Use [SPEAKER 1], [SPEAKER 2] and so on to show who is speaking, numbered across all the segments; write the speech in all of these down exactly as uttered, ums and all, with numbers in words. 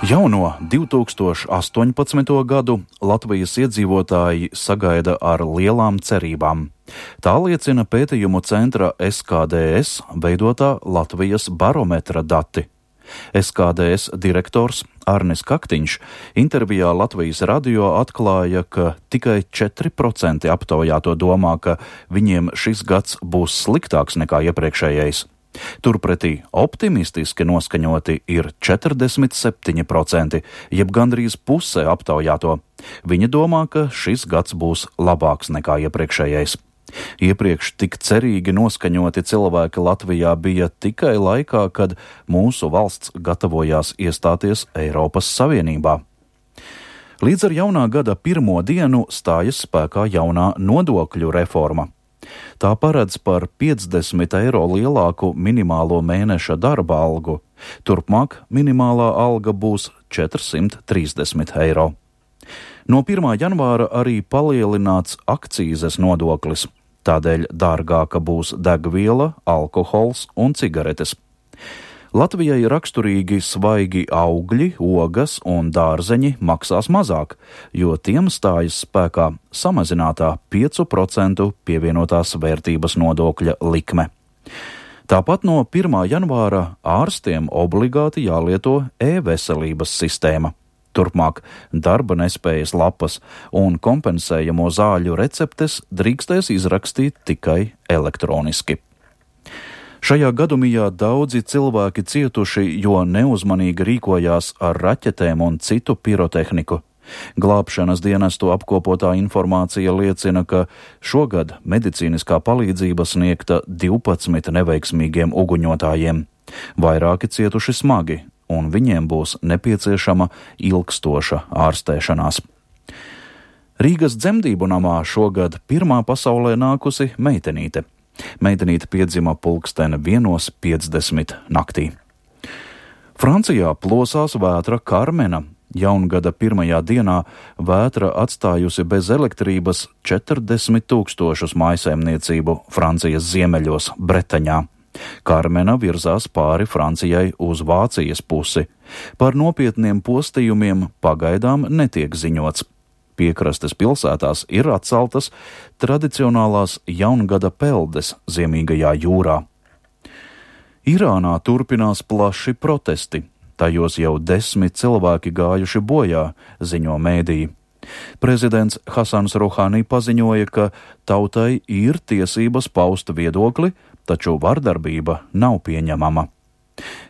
[SPEAKER 1] Jauno divi tūkstoši astoņpadsmito gadu Latvijas iedzīvotāji sagaida ar lielām cerībām. Tā liecina pētījumu centra S K D S veidotā Latvijas barometra dati. S K D S direktors Arnis Kaktiņš intervijā Latvijas radio atklāja, ka tikai četri procenti aptaujāto domā, ka viņiem šis gads būs sliktāks nekā iepriekšējais. Turpretī optimistiski noskaņoti ir četrdesmit septiņi procenti, jeb gandrīz puse aptaujāto. Viņi domā, ka šis gads būs labāks nekā iepriekšējais. Iepriekš tik cerīgi noskaņoti cilvēki Latvijā bija tikai laikā, kad mūsu valsts gatavojās iestāties Eiropas Savienībā. Līdz ar jaunā gada pirmo dienu stājas spēkā jaunā nodokļu reforma. Tā paredz par piecdesmit eiro lielāku minimālo mēneša darba algu. Turpmāk minimālā alga būs četrsimt trīsdesmit eiro. No pirmā janvāra arī palielināts akcīzes nodoklis. Tādēļ dārgāka būs degviela, alkohols un cigaretes. Latvijai raksturīgi svaigi augļi, ogas un dārzeņi maksās mazāk, jo tiem stājas spēkā samazinātā piecu procentu pievienotās vērtības nodokļa likme. Tāpat no pirmā janvāra ārstiem obligāti jālieto e-veselības sistēma. Turpmāk darba nespējas lapas un kompensējamo zāļu receptes drīkstēs izrakstīt tikai elektroniski. Šajā gadumijā daudzi cilvēki cietuši, jo neuzmanīgi rīkojās ar raķetēm un citu pirotehniku. Glābšanas dienestu apkopotā informācija liecina, ka šogad medicīniskā palīdzība sniegta divpadsmit neveiksmīgiem uguņotājiem. Vairāki cietuši smagi, un viņiem būs nepieciešama ilgstoša ārstēšanās. Rīgas dzemdību namā šogad pirmā pasaulē nākusi meitenīte. Meitenīte piedzima pulksteni vienos piecdesmit naktī. Francijā plosās vētra Karmena. Jaungada pirmajā dienā vētra atstājusi bez elektrības četrdesmit tūkstošus mājsaimniecību Francijas ziemeļos Bretaņā. Karmena virzās pāri Francijai uz Vācijas pusi. Par nopietniem postījumiem pagaidām netiek ziņots. Piekrastes pilsētās ir atceltas tradicionālās jaungada peldes Ziemīgajā jūrā. Irānā turpinās plaši protesti. Tajos jau desmit cilvēki gājuši bojā, ziņo mēdīji. Prezidents Hasans Ruhani paziņoja, ka tautai ir tiesības paust viedokli, taču vardarbība nav pieņemama.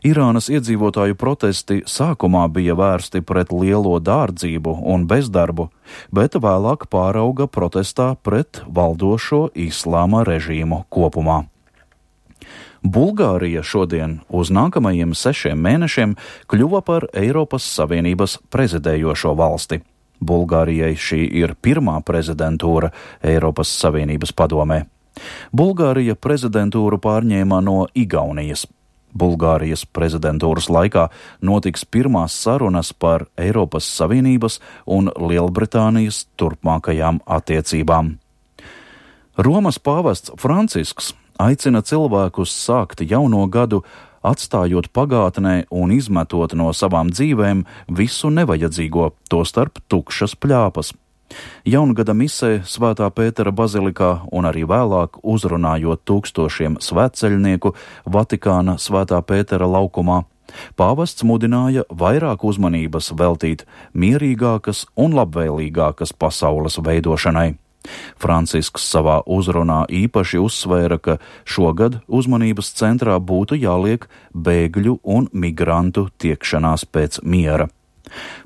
[SPEAKER 1] Irānas iedzīvotāju protesti sākumā bija vērsti pret lielo dārdzību un bezdarbu, bet vēlāk pārauga protestā pret valdošo islāma režīmu kopumā. Bulgārija šodien uz nākamajiem sešiem mēnešiem kļuva par Eiropas Savienības prezidējošo valsti. Bulgārijai šī ir pirmā prezidentūra Eiropas Savienības padomē. Bulgārija prezidentūru pārņēma no Igaunijas. Bulgārijas prezidentūras laikā notiks pirmās sarunas par Eiropas Savienības un Lielbritānijas turpmākajām attiecībām. Romas pāvests Francisks aicina cilvēkus sākt jauno gadu, atstājot pagātnē un izmetot no savām dzīvēm visu nevajadzīgo, tostarp tukšas pļāpas. Jaungada misē Svētā Pētera bazilikā un arī vēlāk uzrunājot tūkstošiem svētceļnieku Vatikāna Svētā Pētera laukumā, pāvests mudināja vairāk uzmanības veltīt mierīgākas un labvēlīgākas pasaules veidošanai. Francisks savā uzrunā īpaši uzsvēra, ka šogad uzmanības centrā būtu jāliek bēgļu un migrantu tiekšanās pēc miera.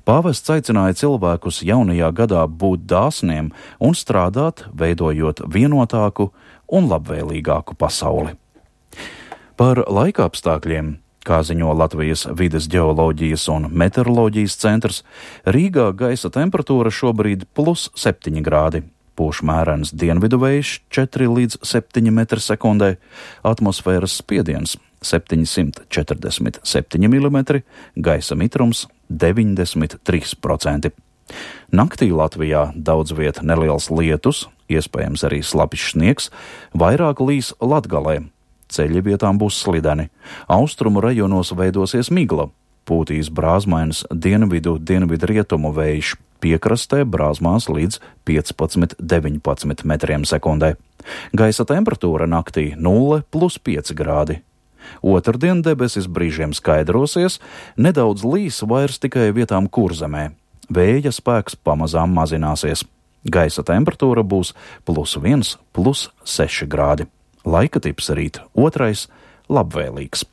[SPEAKER 1] Pāvests aicināja cilvēkus jaunajā gadā būt dāsniem un strādāt, veidojot vienotāku un labvēlīgāku pasauli. Par laikapstākļiem, kā ziņo Latvijas vides ģeoloģijas un meteoroloģijas centrs, Rīgā gaisa temperatūra šobrīd plus septiņi grādi. Pūš mērens dienvidu vējš četri līdz septiņi metri sekundē, atmosfēras spiediens septiņsimt četrdesmit septiņi milimetri, gaisa mitrums deviņdesmit trīs procenti. Naktī Latvijā daudz viet neliels lietus, iespējams arī slapjš sniegs, vairāk līs Latgalē. Ceļi vietām būs slideni. Austrumu rajonos veidosies migla. pūtīs brāzmainas dienvidu dienvidu rietumu vējš, piekrastē brāzmās līdz piecpadsmit deviņpadsmit metriem sekundē. Gaisa temperatūra naktī nulle plus pieci grādi. Otrdien debesis brīžiem skaidrosies, nedaudz līs vairs tikai vietām Kurzemē. Vēja spēks pamazām mazināsies. Gaisa temperatūra būs plus viens, plus seši grādi. Laika tips rīt otrais labvēlīgs.